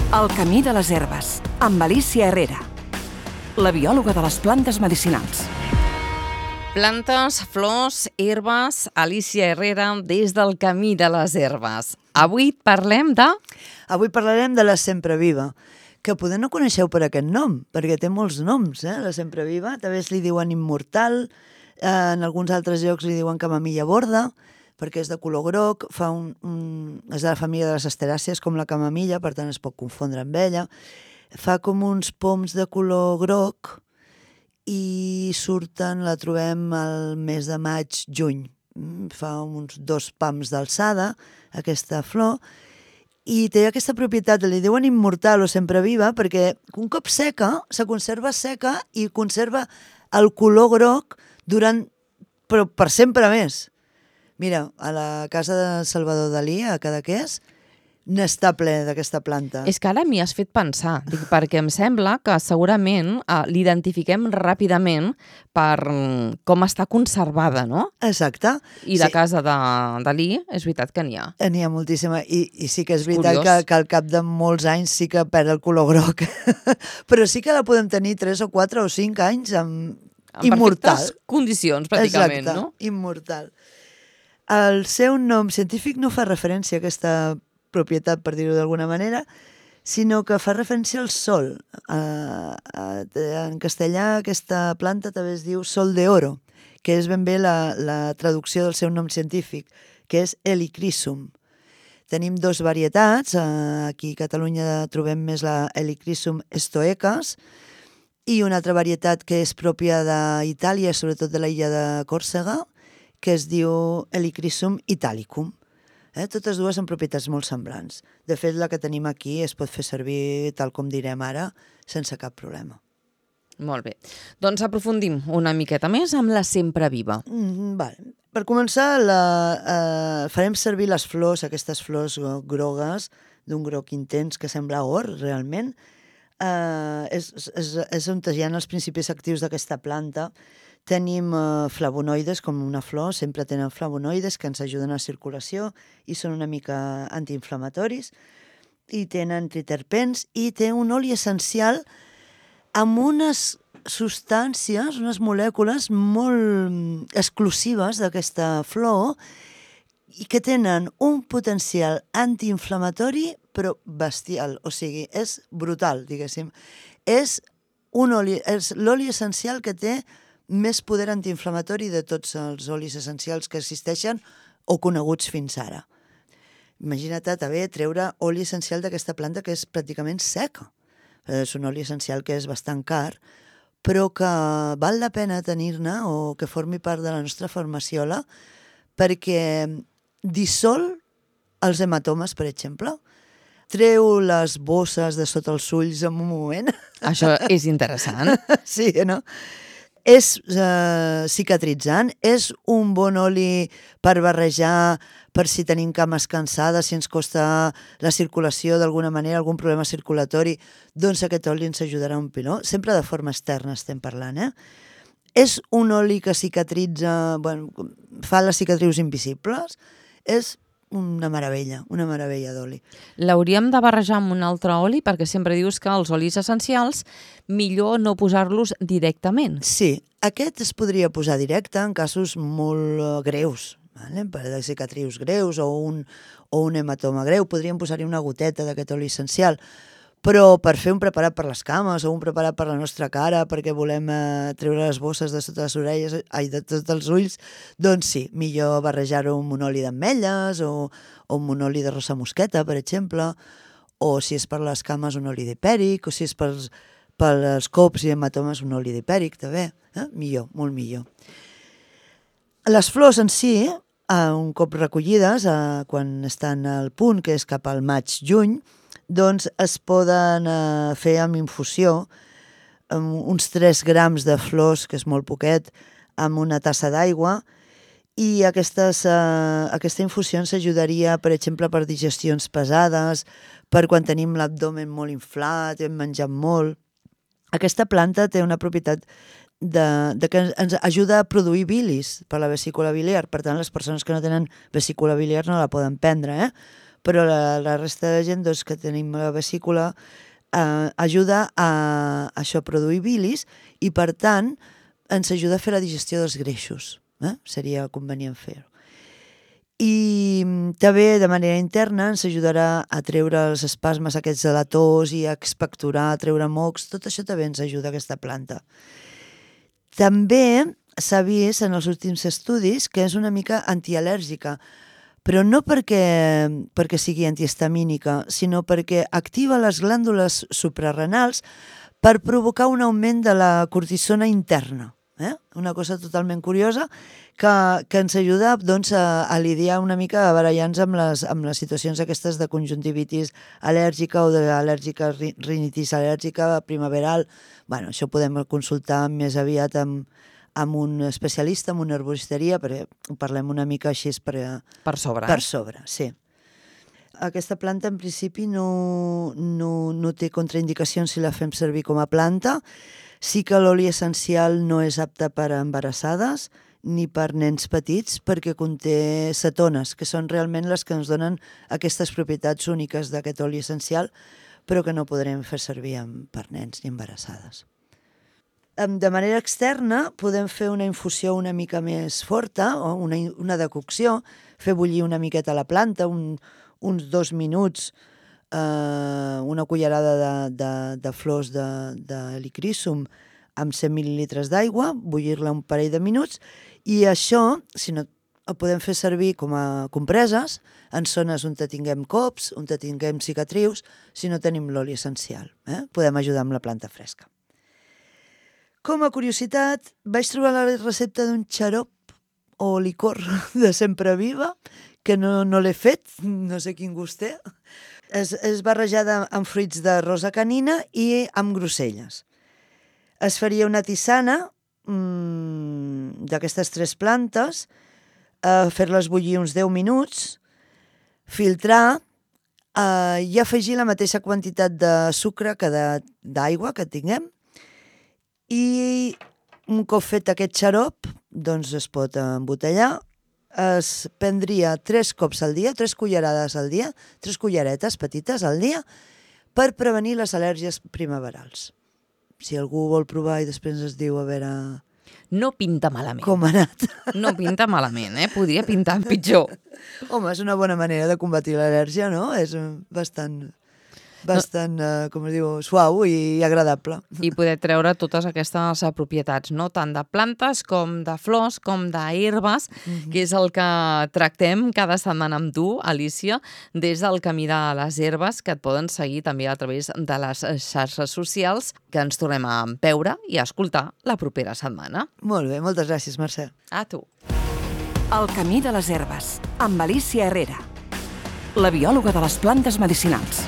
El camí de les herbes, amb Alicia Herrera, la biòloga de les plantes medicinals. Plantes, flors, herbes, Alicia Herrera des del camí de les herbes. Avui parlem de... Avui parlarem de la sempreviva, que poder no coneixeu per aquest nom, perquè té molts noms, la sempreviva. També li diuen immortal, en alguns altres llocs li diuen camamilla borda, perquè és de color groc, és de la família de les asteràcies, com la camamilla, per tant es pot confondre amb ella. Fa com uns poms de color groc i la trobem al mes de maig-juny. Fa uns 2 pams d'alçada, aquesta flor, i té aquesta propietat, li diuen immortal o sempreviva, perquè un cop seca, se conserva seca i conserva el color groc però per sempre més. Mira, a la casa de Salvador Dalí, a Cadaqués, n'està ple d'aquesta planta. És que ara m'hi has fet pensar, perquè em sembla que segurament l'identifiquem ràpidament per com està conservada, no? Exacte. I la casa de Dalí, és veritat que n'hi ha. N'hi ha moltíssima, i sí que és veritat que al cap de molts anys sí que perd el color groc, però sí que la podem tenir 3 o 4 o 5 anys immortal. En perfectes condicions, pràcticament, exacte, no? Immortal. El seu nom científic no fa referència a aquesta propietat, per dir-ho d'alguna manera, sinó que fa referència al sol. En castellà aquesta planta també es diu sol de oro, que és ben bé la traducció del seu nom científic, que és Helichrysum. Tenim 2 varietats, aquí a Catalunya trobem més la Helichrysum stoecas i una altra varietat que és pròpia d'Itàlia, sobretot de l'illa de Còrsega, que es diu Helichrysum italicum. Totes dues són propietats molt semblants. De fet, la que tenim aquí es pot fer servir, tal com direm ara, sense cap problema. Molt bé. Doncs aprofundim una miqueta més amb la sempreviva. Vale. Per començar, farem servir les flors, aquestes flors grogues, d'un groc intens que sembla or, realment. És on hi ha els principis actius d'aquesta planta. Tenim flavonoides, com una flor, sempre tenen flavonoides que ens ajuden a la circulació i són una mica antiinflamatoris, i tenen triterpens, i té un oli essencial amb unes substàncies, unes molècules molt exclusives d'aquesta flor i que tenen un potencial antiinflamatori però bestial, o sigui, és brutal, diguéssim. És l'oli essencial que té més poder antiinflamatori de tots els olis essencials que existeixen o coneguts fins ara. Imagina't també treure oli essencial d'aquesta planta que és pràcticament seca. És un oli essencial que és bastant car, però que val la pena tenir-ne o que formi part de la nostra farmaciola perquè dissol els hematomes, per exemple. Treu les bosses de sota els ulls en un moment. Això és interessant. Sí, no? És cicatritzant, és un bon oli per barrejar, per si tenim cames cansades, si ens costa la circulació d'alguna manera, algun problema circulatori, doncs aquest oli ens ajudarà un piló. Sempre de forma externa estem parlant, És un oli que cicatritza, fa les cicatrius invisibles, és una meravella d'oli. L'hauríem de barrejar amb un altre oli perquè sempre dius que els olis essencials millor no posar-los directament. Sí, aquest es podria posar directe en casos molt greus, per de cicatrius greus o un hematoma greu. Podríem posar-hi una goteta d'aquest oli essencial, però per fer un preparat per les cames o un preparat per la nostra cara perquè volem treure les bosses de sota les orelles, de tots els ulls, doncs sí, millor barrejar-ho amb un oli d'ametlles o amb un oli de rosa mosqueta, per exemple, o si és per les cames un oli d'hipèric, o si és pels cops i hematomes un oli d'hipèric, també. Millor, molt millor. Les flors en si, un cop recollides, quan estan al punt, que és cap al maig-juny, doncs es poden fer amb infusió, amb uns 3 grams de flors, que és molt poquet, amb una tassa d'aigua, i aquesta infusió ens ajudaria, per exemple, per digestions pesades, per quan tenim l'abdomen molt inflat, hem menjat molt. Aquesta planta té una propietat que ens ajuda a produir bilis per la vesícula biliar. Per tant, les persones que no tenen vesícula biliar no la poden prendre, però la resta de gent doncs, que tenim la vesícula ajuda a això, a produir bilis i, per tant, ens ajuda a fer la digestió dels greixos. Seria convenient fer-ho. I també, de manera interna, ens ajudarà a treure els espasmes aquests de la tos i a expectorar, a treure mocs. Tot això també ens ajuda aquesta planta. També s'ha vist en els últims estudis que és una mica antial·lèrgica, però no perquè sigui antihistamínica, sinó perquè activa les glàndules suprarrenals per provocar un augment de la cortisona interna. Una cosa totalment curiosa que ens ajuda doncs, a lidiar una mica, a barallar-nos amb les situacions aquestes de conjuntivitis al·lèrgica o d'al·lèrgica, rinitis al·lèrgica primaveral. Bueno, això podem consultar més aviat amb un especialista, amb una herboristeria, perquè parlem una mica així per sobre. Per sobre, sí. Aquesta planta, en principi, no té contraindicacions si la fem servir com a planta. Sí que l'oli essencial no és apte per a embarassades ni per nens petits perquè conté cetones, que són realment les que ens donen aquestes propietats úniques d'aquest oli essencial, però que no podrem fer servir per nens ni embarassades. De manera externa podem fer una infusió una mica més forta o una decocció, fer bullir una miqueta la planta, uns 2 minuts, una cullerada de flors de helicrísum amb 100 mil·lilitres d'aigua, bullir-la un parell de minuts, i això, si no, ho podem fer servir com a compreses en zones on tinguem cops, on tinguem cicatrius, si no tenim l'oli essencial. Podem ajudar amb la planta fresca. Com a curiositat, vaig trobar la recepta d'un xarop o licor de Sempreviva, que no l'he fet, no sé quin gust té. És barrejada amb fruits de rosa canina i amb groselles. Es faria una tisana d'aquestes 3 plantes, fer-les bullir uns 10 minuts, filtrar i afegir la mateixa quantitat de sucre que d'aigua que tinguem. I un cop fet aquest xarop, doncs es pot embotellar. Es prendria 3 cops al dia, 3 cullerades al dia, 3 culleretes petites al dia, per prevenir les al·lèrgies primaverals. Si algú vol provar i després ens diu a veure... No pinta malament. Com ha anat. No pinta malament, Podria pintar pitjor. Home, és una bona manera de combatir l'al·lèrgia, no? És bastant com es diu, suau i agradable. I poder treure totes aquestes propietats, no? Tant de plantes com de flors, com d'herbes, que és el que tractem cada setmana amb tu, Alícia, des del Camí de les Herbes, que et poden seguir també a través de les xarxes socials, que ens tornem a veure i a escoltar la propera setmana. Molt bé, moltes gràcies, Mercè. A tu. El Camí de les Herbes, amb Alícia Herrera, la biòloga de les plantes medicinals.